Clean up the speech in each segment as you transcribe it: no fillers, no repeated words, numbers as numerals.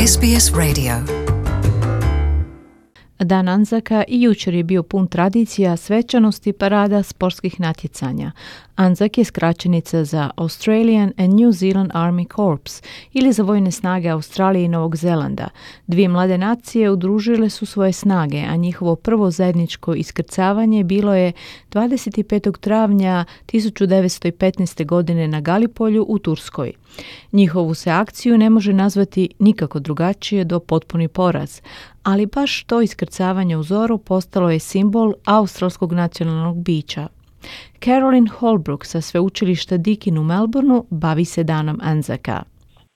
SBS Radio. Dan Anzaka i jučer je bio pun tradicija, svečanosti, parada, sportskih natjecanja. Anzak je skraćenica za Australian and New Zealand Army Corps ili za vojne snage Australije i Novog Zelanda. Dvije mlade nacije udružile su svoje snage, a njihovo prvo zajedničko iskrcavanje bilo je 25. travnja 1915. godine na Galipolju u Turskoj. Njihovu se akciju ne može nazvati nikako drugačije do potpuni poraz, ali baš to iskrcavanje u zoru postalo je simbol australskog nacionalnog bića. Caroline Holbrook sa sveučilišta Deakin u Melbourneu bavi se danom Anzaka.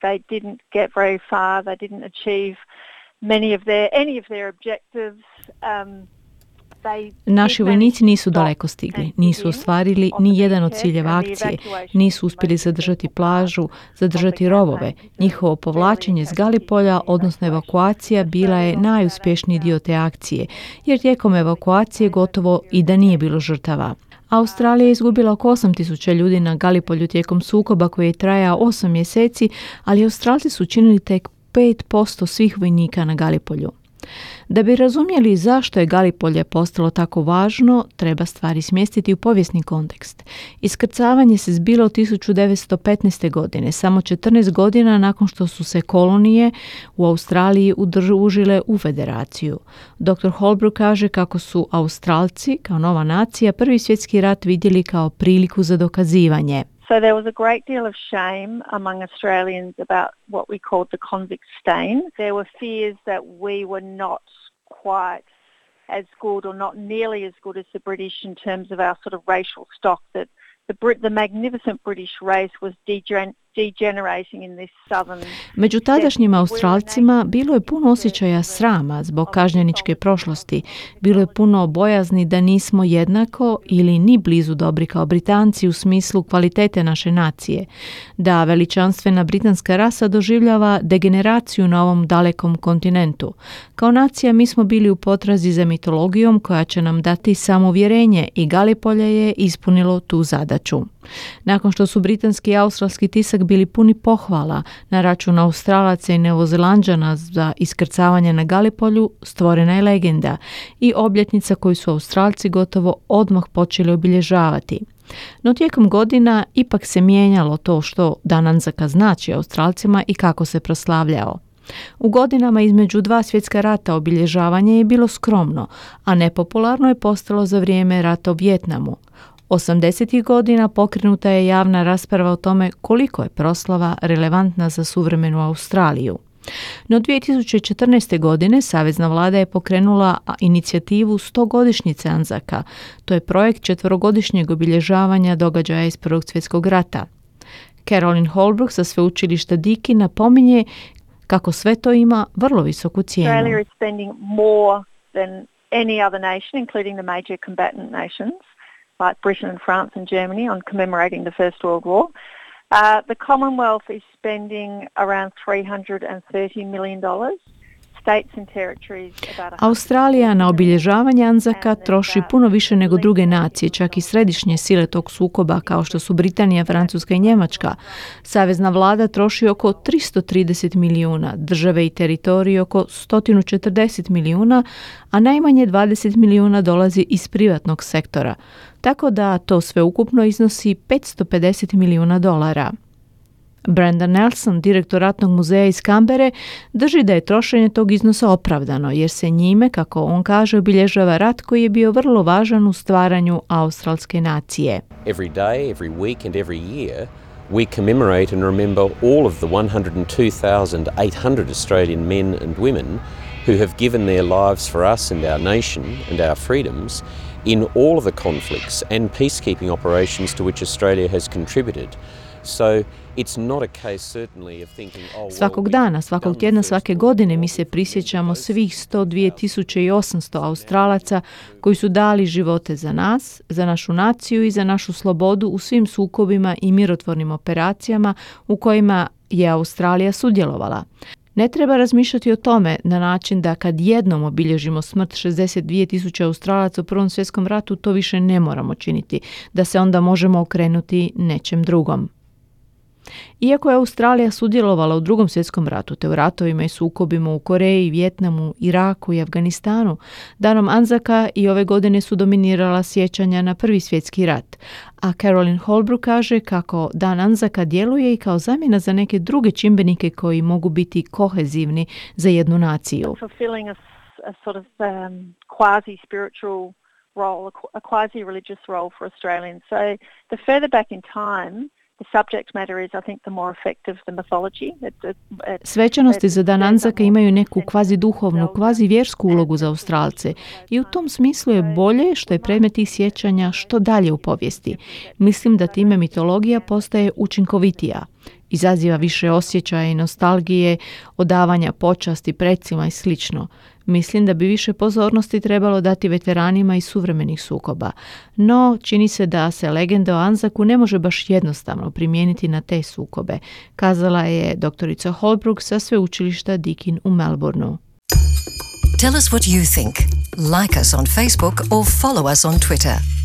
They didn't get very far, they didn't achieve any of their objectives. Naši vojnici nisu daleko stigli, nisu ostvarili ni jedan od ciljeva akcije, nisu uspjeli zadržati plažu, zadržati rovove. Njihovo povlačenje s Galipolja, odnosno evakuacija, bila je najuspješniji dio te akcije, jer tijekom evakuacije gotovo i da nije bilo žrtava. Australija je izgubila oko 8.000 ljudi na Galipolju tijekom sukoba koji je trajao 8 mjeseci, ali Australci su činili tek 5% svih vojnika na Galipolju. Da bi razumjeli zašto je Galipolje postalo tako važno, treba stvari smjestiti u povijesni kontekst. Iskrcavanje se zbilo 1915. godine, samo 14 godina nakon što su se kolonije u Australiji udružile u federaciju. Dr. Holbrook kaže kako su Australci, kao nova nacija, Prvi svjetski rat vidjeli kao priliku za dokazivanje. So there was a great deal of shame among Australians about what we called the convict stain. There were fears that we were not quite as good or not nearly as good as the British in terms of our sort of racial stock, that the magnificent British race was degenerating in this southern. Među tadašnjim Australcima bilo je puno osjećaja srama zbog kažnjeničke prošlosti. Bilo je puno bojazni da nismo jednako ili ni blizu dobri kao Britanci u smislu kvalitete naše nacije. Da veličanstvena britanska rasa doživljava degeneraciju na ovom dalekom kontinentu. Kao nacija mi smo bili u potrazi za mitologijom koja će nam dati samouvjerenje i Galipolje je ispunilo tu zadaću. Nakon što su britanski i australski tisak bili puni pohvala na račun Australaca i Novozelanđana za iskrcavanje na Galipolju, stvorena je legenda i obljetnica koju su Australci gotovo odmah počeli obilježavati. No tijekom godina ipak se mijenjalo to što Dan Anzaka znači Australcima i kako se proslavljao. U godinama između dva svjetska rata obilježavanje je bilo skromno, a nepopularno je postalo za vrijeme rata u Vijetnamu. 80. godina pokrenuta je javna rasprava o tome koliko je proslava relevantna za suvremenu Australiju. No 2014. godine savezna vlada je pokrenula inicijativu 100-godišnjice Anzaka. To je projekt 4-godišnjeg obilježavanja događaja iz Prvog svjetskog rata. Caroline Holbrook sa sveučilišta Deakin napominje kako sve to ima vrlo visoku cijenu. Australia is spending more than any other nation, including the major combatant nations, like Britain and France and Germany, on commemorating the First World War. The Commonwealth is spending around $330 million. States and territories about Australija na obilježavanje Anzaka troši puno više nego druge nacije, čak i središnje sile tog sukoba kao što su Britanija, Francuska i Njemačka. Savezna vlada troši oko 330 milijuna, države i teritoriji oko 140 milijuna, a najmanje 20 milijuna dolazi iz privatnog sektora. Tako da to sve ukupno iznosi $550 milijuna. Brandon Nelson, direktor ratnog muzeja iz Kambere, drži da je trošenje tog iznosa opravdano, jer se njime, kako on kaže, obilježava rat koji je bio vrlo važan u stvaranju australske nacije. Every day, every week and every year we commemorate and remember all of the 102,800 Australian men and women who have given their lives for us and our nation and our freedoms in all of the conflicts and peacekeeping operations to which Australia has contributed. So it's not a case certainly of thinking, svakog dana, svakog tjedna, svake godine mi se prisjećamo svih 102.800 Australaca koji su dali živote za nas, za našu naciju i za našu slobodu u svim sukobima i mirotvornim operacijama u kojima je Australija sudjelovala. Ne treba razmišljati o tome na način da kad jednom obilježimo smrt 62.000 Australaca u Prvom svjetskom ratu, to više ne moramo činiti, da se onda možemo okrenuti nečem drugom. Iako je Australija sudjelovala u Drugom svjetskom ratu te u ratovima i sukobima u Koreji, Vijetnamu, Iraku i Afganistanu, danom Anzaka i ove godine su dominirala sjećanja na Prvi svjetski rat, a Caroline Holbrook kaže kako Dan Anzaka djeluje i kao zamjena za neke druge čimbenike koji mogu biti kohezivni za jednu naciju. Fulfilling a sort of quasi-spiritual role, a quasi-religious role for Australians. So the further back in time, the subject matter is, I think, the more effective the mythology. Svečanosti za Dan Anzaka imaju neku kvazi duhovnu, kvazi vjersku ulogu za Australce i u tom smislu je bolje što je predmet tih sjećanja što dalje u povijesti. Mislim da time mitologija postaje učinkovitija. Izaziva više osjećaja i nostalgije, odavanja počasti precima i slično. Mislim da bi više pozornosti trebalo dati veteranima iz suvremenih sukoba. No, čini se da se legenda o Anzaku ne može baš jednostavno primijeniti na te sukobe, kazala je doktorica Holbrook sa sveučilišta Deakin u Melbourneu. Tell us what you think. Like us on Facebook or follow us on Twitter.